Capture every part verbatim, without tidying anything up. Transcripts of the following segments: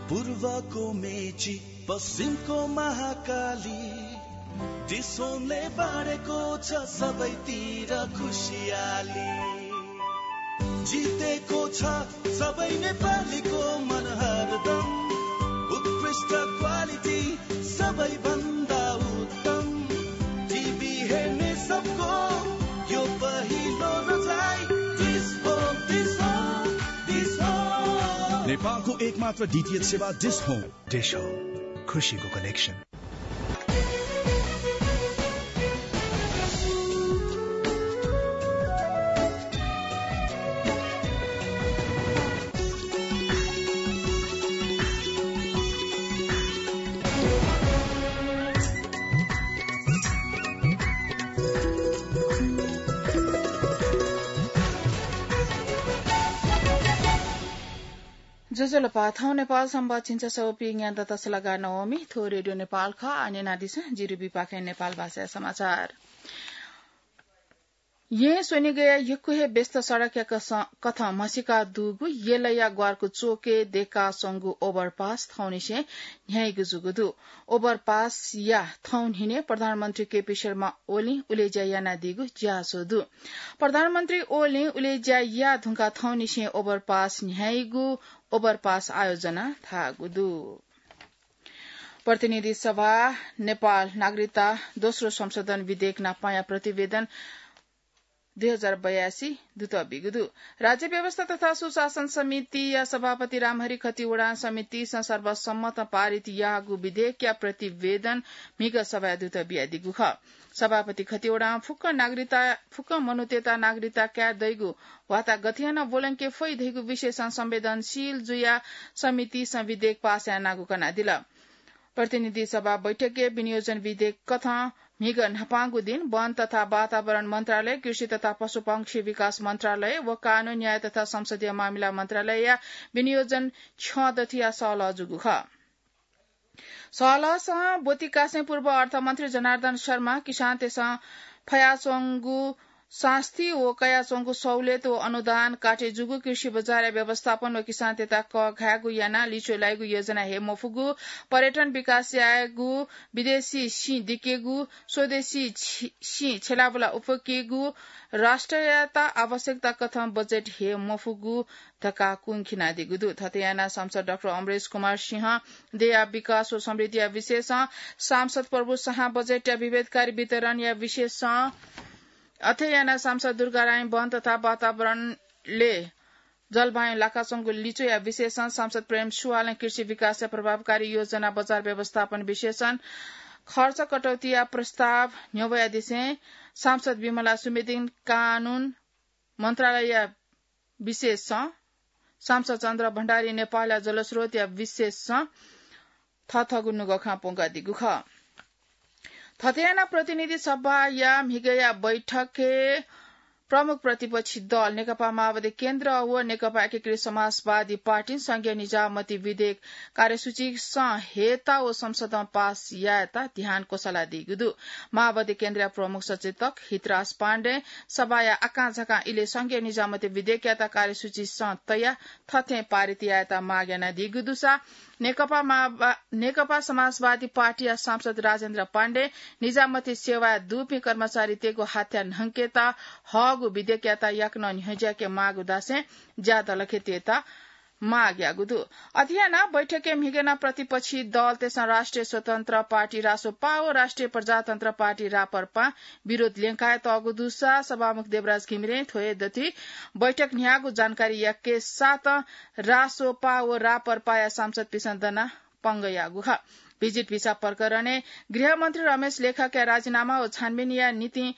पूर्वको मेची, पश्चिमको महाकाली, डिसोमले बाँडेको छ सबैतिर खुसियाली। जितेको छ सबै नेपालीको मन हरदम। उत्कृष्ट क्वालिटी, सबैभन्दा उत्तम। टिभी हेर्ने सबको यो पहिलो रोजाइ। Dish home, dish home, dish home. नेपालको एकमात्र डिटिएच सेवा डिस होम। डिस होम, खुसीको कनेक्सन। ज्वजलपा, थौं नेपाल संवाद झिंछसः व पीन्यादँ तसलगा नवमी। थ्व रेडियो नेपाल खः। आः न्यनादिसँ, जिरुबीपाखें नेपाल भाषाया समाचार। येँ स्वनिगया यक्व हे व्यस्त सडकया कस-, कथं म्हसीका दुगु यलया ग्वारकु चोकय् दयेकाच्वंगु overpass थौंनिसें न्ह्याइगु जूगु दु। Overpass-या थौं न्हिनय् प्रधानमन्त्री केपी शर्मा ओलीं उलेज्या यानादीगु ज्याझ्वः दु। प्रधानमन्त्री ओलीं उलेज्या याये धुंकाः थौंनिसें overpass न्ह्याइगु overpass आयोजना धाःगु दु। प्रतिनिधि सभा नेपाल नागरिकता दोस्रो संशोधन विधेयक नापंया प्रतिवेदन दुई हजार बयासी दुत बीगु दु। राज्य व्यवस्था तथा सुशासन समितिया सभापति रामहरि खतिवडां समितिसं सर्वसम्मत पारित याःगु विधेयकया प्रतिवेदन म्हिगः सभाय् दुत बियादीगु खः। सभापति खतिवडां फुक्क नागरिकता, फुक्क मनूतय्त नागरिकता काये दइगु वाता गथे यानाः ब्वलंके फइ धइगु विषयसं संवेदनशील जुयाः समितिसं विधेयक पास यानागु कनादिल। प्रतिनिधि सभा बैठकय् विनियोजन विधेयक कथं म्हिगः न्हापांगु दिं वन तथा वातावरण मन्त्रालय, कृषि तथा पशुपक्षी विकास मन्त्रालय व कानून, न्याय तथा संसदीय मामिला मन्त्रालयया विनियोजन छ्यं दथुया सहलह जूगु खः। सहलहसं ब्वति कासें पूर्व अर्थमन्त्री जनार्दन शर्मा किसानतय्सं फयाच्वंगु सास्ती व कयाच्वंगु सहुलियत व अनुदान काटे जूगु कृषि बजारया व्यवस्थापन व किसानतय्त कःघायेगु यानाः लिच्वः लाइगु योजना हे मफुगु, पर्यटन विकास यायेगु, विदेशी सिं दिकेगु, स्वदेशी छि-, सिं छेलाबुला उफकेगु, राष्ट्रयात आवश्यकता कथं बजेट हे मफुगु धकाः कुंखिनादीगु दु। थथे यानाः सांसद डाक्टर अमरेश कुमार सिंहं देय्या विकास व समृद्धिया विषयसं, सांसद प्रभु शाहं बजेटया विभेदकारी वितरणया विषयसं, अथे यानाः सांसद दुर्गाराईं वन तथा वातावरणले जलवायु लाकाच्वंगु लिच्वया विषयसं, सांसद प्रेम सुवालं कृषि विकासया प्रभावकारी योजना बजार व्यवस्थापन विषयसं, खर्च कटौतीया प्रस्ताव न्ह्यब्वयादिसें सांसद विमला सुवेदीं कानून मन्त्रालयया विषयसं, सांसद चन्द्र भण्डारीं नेपालया जलस्रोतया विषयसं थःथःगु नुगः खँ प्वंकादीगु खः। थथे यानाः प्रतिनिधि सभाया म्हिगःया बैठकय् प्रमुख प्रतिपक्षी दल नेकपा माओवादी केन्द्र व नेकपा एकीकृत समाजवादी पार्टीं संघीय निजामती विधेयक कार्यसूचीसं हयेत व संसदं पास यायेत ध्यान क्वसलादीगु दु। माओवादी केन्द्रया प्रमुख सचेतक हितराज पाण्डें सभाया आकांझाकां इलय् संघीय निजामती विधेयकयात कार्यसूचीसं तयाः थथें पारित यायेत माग यानादीगु दुसा नेकपा माओवा-, नेकपा समाजवादी पार्टीया सांसद राजेन्द्र पाण्डें निजामती सेवाय् दुपिं कर्मचारीतय्गु हाथ्या न्हंकेत हःगु विधेयकयात याकनं न्ह्यज्याके माःगु धासें ज्यादलखे तयेत माग याःगु दु। अथे यानाः बैठकय् म्हिगः नं प्रतिपक्षी दलतय्सं राष्ट्रिय स्वतन्त्र पार्टी रासोपा व राष्ट्रिय प्रजातन्त्र पार्टी राप्रपां विरोध ल्यंकातःगु दुसा सभामुख देवराज घिमिरें थ्व हे दथुइ बैठक न्ह्याःगु जानकारी याके साथं रासोपा व राप्रपाया सांसदपिन्सं दनाः पंगः याःगु खः। भिजिट भिसा प्रकरणय् गृहमन्त्री रमेश लेखकया राजीनामा व छानबिनया निंतिं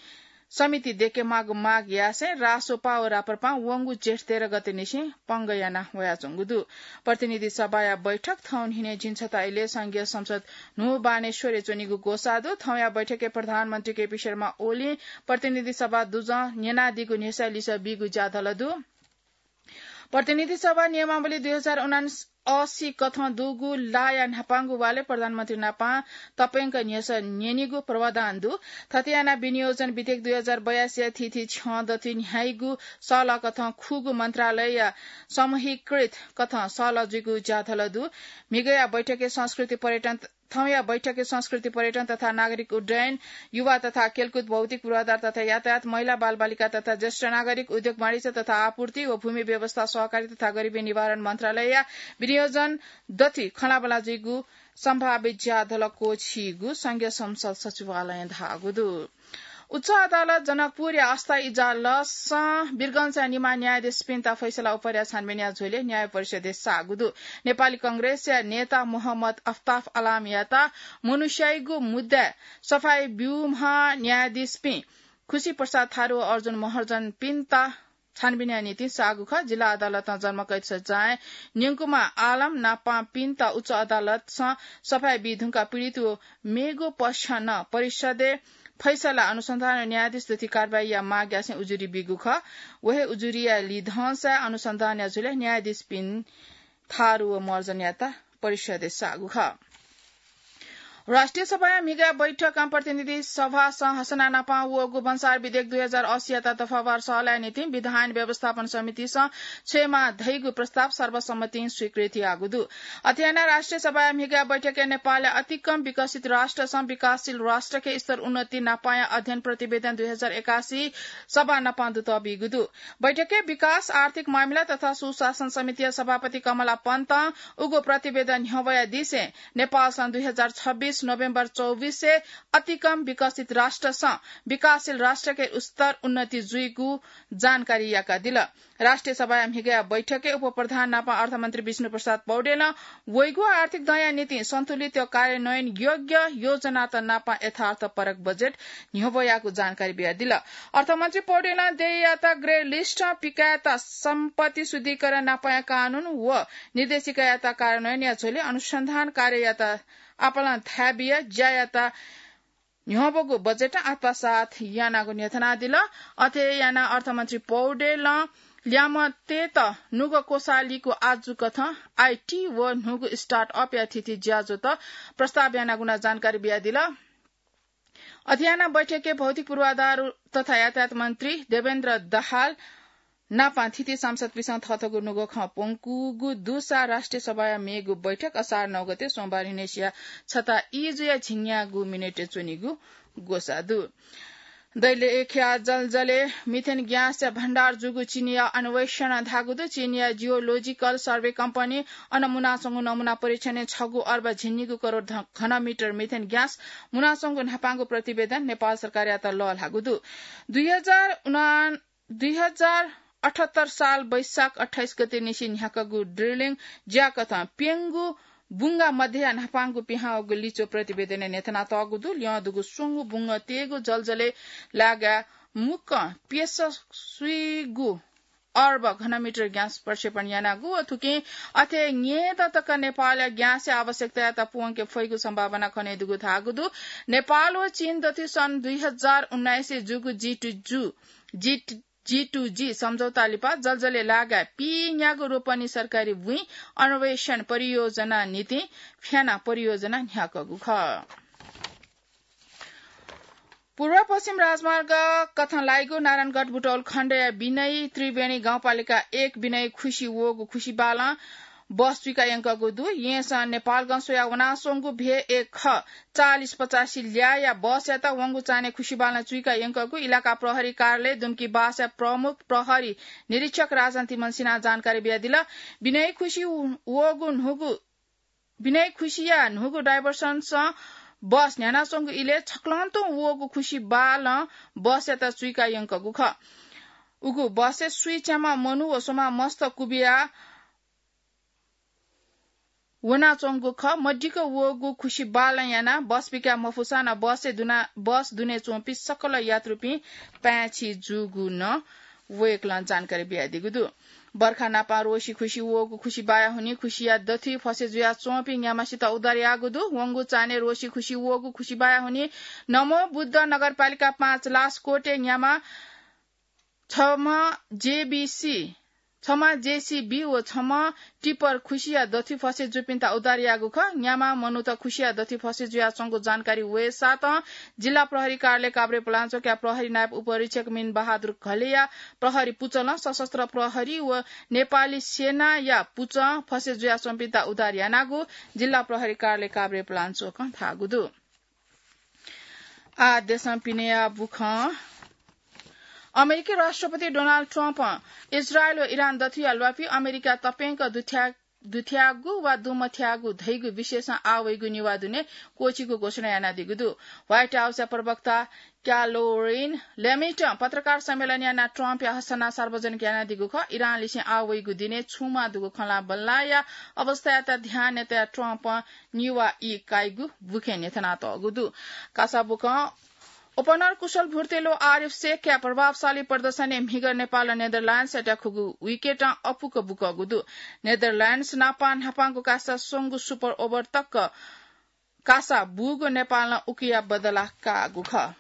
समिति दयेकेमाःगु माग यासें रासोपा व राप्रपां वंगु जेठ तेह्र गतेनिसें पंगः याना वयाच्वंगु दु। प्रतिनिधि सभाया बैठक थौं न्हिनय् झिंछता इलय् संघीय संसद न्हू बानेश्वरय् च्वनीगु ग्वसाः दु। थौंया बैठकय् प्रधानमन्त्री केपी शर्मा ओलीं प्रतिनिधि सभा दुजं न्यनादीगु न्ह्यसःया लिसः बीगु ज्यादल दु। प्रतिनिधि सभा नियमावली दुई हजार उनासी कथं दुगु लाया न्हापांगु वालय् प्रधानमन्त्री नापां तप्यंक न्ह्यसः न्यनीगु प्रावधान दु। थथे यानाः विनियोजन विधेयक दुई हजार बयासीया थीथी छ्यं दथुइ न्ह्याइगु सःलः कथं खुगू मन्त्रालयया समूहीकृत कथं सःलः जुइगु ज्याझ्वः दु। म्हिगःया बैठकय् संस्कृति पर्यटन थौंया बैठकय् संस्कृति पर्यटन तथा नागरिक उड्डयन, युवा तथा खेलकुद, भौतिक पूर्वाधार तथा यातायात, महिला बालबालिका तथा ज्येष्ठ नागरिक, उद्योग वाणिज्य तथा आपूर्ति व भूमि व्यवस्था, सहकारी तथा गरिबी निवारण मन्त्रालयया विनियोजन दथुइ खँल्हाबल्हा जुइगु सम्भावित ज्याझ्वः क्वःछिइगु संघीय संसद सचिवालयं धाःगु दु। उच्च अदालत जनकपुरया अस्थायी इजलासं वीरगंजया निम्ह न्यायाधीशपिन्त फैसला उपर छानबिनया झ्वलय् न्याय परिषदय् साःगु दु। नेपाली कांग्रेसया नेता मोहम्मद अफ्ताफ आलमयात मनूस्याइगु मुद्दाय् सफाई ब्यूम्ह न्यायाधीशपिं खुशी प्रसाद थारु व अर्जुन महर्जनपिन्त छानबिनया निंतिं साःगु खः। जिल्ला अदालतं जन्मकैद सजाय न्यंकुम्ह आलम नापांपिन्त उच्च अदालतं सफाई बी धुंकाः पीडित व मेगु पक्ष नं परिषदय् फैसला अनुसन्धान व न्यायाधीश दथुइ कारवाहीया माग यासें उजुरी बीगु खः। व हे उजुरीया लिधंसा अनुसन्धानया झ्वलय् न्यायाधीशपिं थारु व महर्जनयात परिषदय् साःगु खः। राष्ट्रिय सभाया म्हिगः बैठकं प्रतिनिधि सभासं हसना नापां वःगु भन्सार विधेयक दुई हजार असीयात दफावार सःलाया निंतिं विधान व्यवस्थापन समितिसं छ्वयेमाः धइगु प्रस्ताव सर्वसम्मतिं स्वीकृत याःगु दु। अथे यानाः राष्ट्रिय सभाया म्हिगः बैठकय् नेपालया अतिकम विकसित राष्ट्रसं विकासशील राष्ट्रके स्तर उन्नति नापांया अध्ययन प्रतिवेदन दुई हजार एकासी सभा नापां दुतः बीगु दु। बैठकय् विकास, आर्थिक मामिला तथा सुशासन समितिया सभापति कमला पन्तं उगु प्रतिवेदन न्ह्यब्वयादिसें नेपालसं दुई हजार छब्बीस नोभेम्बर चौबिसय् अतिकम विकसित राष्ट्रसं विकासशील राष्ट्रके स्तर उन्नति जुइगु जानकारी याकादिल। राष्ट्रिय सभाया म्हिगःया बैठकय् उपप्रधान नापं अर्थमन्त्री विष्णुप्रसाद पौडेलं वइगु आर्थिक दँया निंतिं सन्तुलित कार्यान्वयन योग्य योजनात नापं यथार्थपरक बजेट न्ह्यब्वयागु जानकारी बियादिल। अर्थमन्त्री पौडेलं देय्‌यात ग्रे लिस्टं पिकायेत सम्पत्ति शुद्धिकरण नापंया कानून व निर्देशिकायात कार्यान्वयनया झ्वलय् अनुसन्धान कार्ययात आपालं थाय् बिया ज्यायात न्ह्यब्वःगु बजेटं आत्मसात यानागु न्ह्यथनादिल। अथे यानाः अर्थमन्त्री पौडेलं ल्यामतेत नुगः क्वसालिगु आजु कथं आईटी व न्हूगु स्टार्टअपया थीथी ज्याझ्वःत प्रस्ताव यानागु नं जानकारी बियादिल। अथे यानाः बैठकय् भौतिक पूर्वाधार तथा यातायात मन्त्री देवेन्द्र दाहाल नापं थीथी सांसदपिन्सं थःथःगु नुगः खँ प्वंकूगु दुसा राष्ट्रिय सभाया मेगु बैठक असार नौ गते सोमबार न्हिनय्‌सिया छता ई जुया झिंन्यागू मिनेटय् च्वनीगु ग्वसाः दु। दैलेखया जलजलय् मिथेन ग्यासया भण्डार जूगु चीनया अन्वेषणं धाःगु दु। चीनया जियोलोजिकल सर्वे कम्पनीं अन मुनाच्वंगु नमुना परीक्षणय् छगू अर्ब झिंनिगू करोड घनमिटर मिथेन ग्यास मुनाच्वंगु न्हापांगु प्रतिवेदन नेपाल सरकारयात लःल्हाःगु दु। दुई हजार उना दुई हजार अठहत्तर साल वैशाख अट्ठाइस गते निसें न्ह्याकागु ड्रिलिङ ज्याकथं प्यंगू बुंगा मध्यया न्हापांगु पिहां वःगु लिच्वः प्रतिवेदनय् न्ह्यथनातःगु दु। ल्यं दुगु स्वंगू बुंगः तयेगु जलजलय् लागाय् मुक्कं प्यसः स्वीगू अर्ब घनमिटर ग्यास प्रक्षेपण यानागु व थुकिं अथे न्यय्‌दँ तक नेपालया ग्यासया आवश्यकतायात प्वंके फइगु सम्भावना खनेदुगु धाःगु दु। नेपाल व चीन दथुइ सन् दुई हजार उन्नाइसय् जूगु जी टू जू, जी, जी टू जी सम्झौता लिपा जलजलय् लागाय् पीन्यागू रोपनी सरकारी बुँइ अन्वेषण परियोजना निंतिं फ्याना परियोजना न्ह्याकःगु खः। पूर्व पश्चिम राजमार्ग कथं लाइगु नारायणगढ बुटवल खण्डया बिनयी त्रिवेणी गाउँपालिका एक बिनयी खुसी वःगु खुसी बालं बस चुइका यंकःगु दु। येँसं नेपालगं स्वया वनाच्वंगु भे एक ख चालिस पचासी ल्याःया बसयात वंगु चान्हय् खुसी बालं चुइका यंकःगु इलाका प्रहरी कार्यालय दुम्की बासया प्रमुख प्रहरी निरीक्षक राजन तिमल्सिनां जानकारी बियादिल। बिनयी खुसी वःगु न्हूगु बिनयी खुसिया न्हूगु डाइभर्सनसं बस न्ह्यानाच्वंगु इलय् छक्लं तुं वःगु खुसी बालं बसयात चुइका यंकःगु खः। उगु बसय् स्वीच्याम्ह मनू व स्वम्ह मस्त कुबिया वनाच्वंगु खः। मदिक्क वःगु खुसी बालं यानाः बस पिकाये मफुसां नं बसय् दुना, बस दुने च्वंपिं सकल यात्रुपिं पाय्‌छि जूगु नं वय्‌कलं जानकारी बियादीगु दु। बर्खा नापं रोसी खुसी वःगु खुसी बाया हुनिं खुसिया दथुइ फसे जुयाच्वंपिं न्याम्हसित उद्धार याःगु दु। वंगु चान्हय् रोसी खुसी वःगु खुसी बाया हुनिं नमो बुद्ध नगरपालिका पाँच लासकोटे न्याम्ह छम्ह जेबीसी छम्ह जेसीबी व छम्ह टिप्पर खुसिया दथुइ फसे जूपिन्त उद्धार याःगु खः। न्याम्ह मनूत खुसिया दथुइ फसे जुयाच्वंगु जानकारी वयेसातं जिल्ला प्रहरी कार्यालय काभ्रे पलाञ्चोकया प्रहरी नायब उपरीक्षक मिन बहादुर घलेया प्रहरी पुचलं सशस्त्र प्रहरी व नेपाली सेनाया पुचं फसे जुयाच्वंपिन्त उद्धार यानागु जिल्ला प्रहरी कार्यालय काभ्रे पलाञ्चोकं धाःगु दु। आ देशं पिनेया बुखं। अमेरिकी राष्ट्रपति डोनाल्ड ट्रम्पं इजरायल व इरान दथुया ल्वापि अमेरिका तप्यंक दुथ्या-, दुथ्याःगु वा दुमथ्याःगु धइगु विषयसं आः वइगु निवाः दुने क्वःछिगु घोषणा यानादीगु दु। व्हाइट हाउसया प्रवक्ता क्यालोरिन लेमिटं पत्रकार सम्मेलन यानाः ट्रम्पया हस्ताना सार्वजनिक यानादीगु खः। इरानलिसें आः वइगु दिने छुमा दुगु खँल्हाबल्हाया अवस्थायात ध्यानय् तयाः ट्रम्पं निवाः ई काइगु बुखें न्ह्यथनातःगु दु। कासा बुखं ओपनर कुशल भुर्तेलो आरिफ शेखया प्रभावशाली प्रदर्शनय् म्हिगः नेपालं नेदरल्याण्डसयात खुगू विकेटं अपुक बुकःगु दु। नेदरल्याण्डस नाप न्हापांगु कासा स्वंगू सुपर ओभर तक कासा बूगु नेपालं उकिया बदला काःगु खः।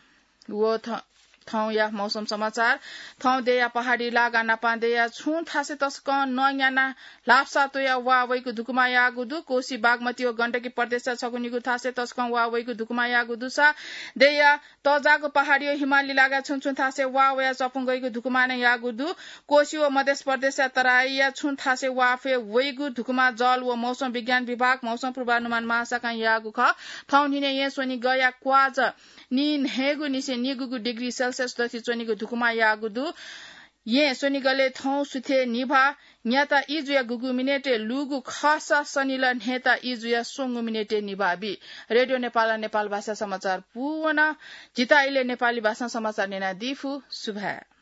व थ-, थौंया मौसम समाचार। थौं देया पहाडी लागा नापां देया छुं थासय् तसकं नँ न्यानाः ल्हापसा त्वयाः वाः वइगु धुकुमा याःगु दु। कोसी, बागमती व गण्डकी प्रदेशया छगू निगू थासय् तसकं वाः वइगु धुकुमा याःगु दुसा देया तःजाःगु पहाडी व हिमाली लागा छुं छुं थासय् वाः वयाः चपुं गइगु धुकुमा नं याःगु दु। कोशी व मधेस प्रदेशया तराईया छुं थासय् वाफय् वइगु धुकुमा जल व मौसम विज्ञान विभाग मौसम पूर्वानुमान महाशाखां याःगु खः। थौं न्हिनय् येँ स्वनिगःया क्वाज नीन्हय्गु निसें निगूगु डिग्री सेल्सियस दथुइ च्वनीगु धुकुमा याःगु दु। येँ स्वनिगलय् थौं सुथय् निभाः न्याता ई जुयाः गुगु मिनेटय् लूगु खःसा सनिलः न्हय्ता ई जुयाः स्वंगू मिनेटय् निभाः बी। रेडियो नेपालं नेपाल भाषा समाचार पूवन। जिता इलय् नेपाली भाषां समाचार न्यनादी फु। सुभाय्।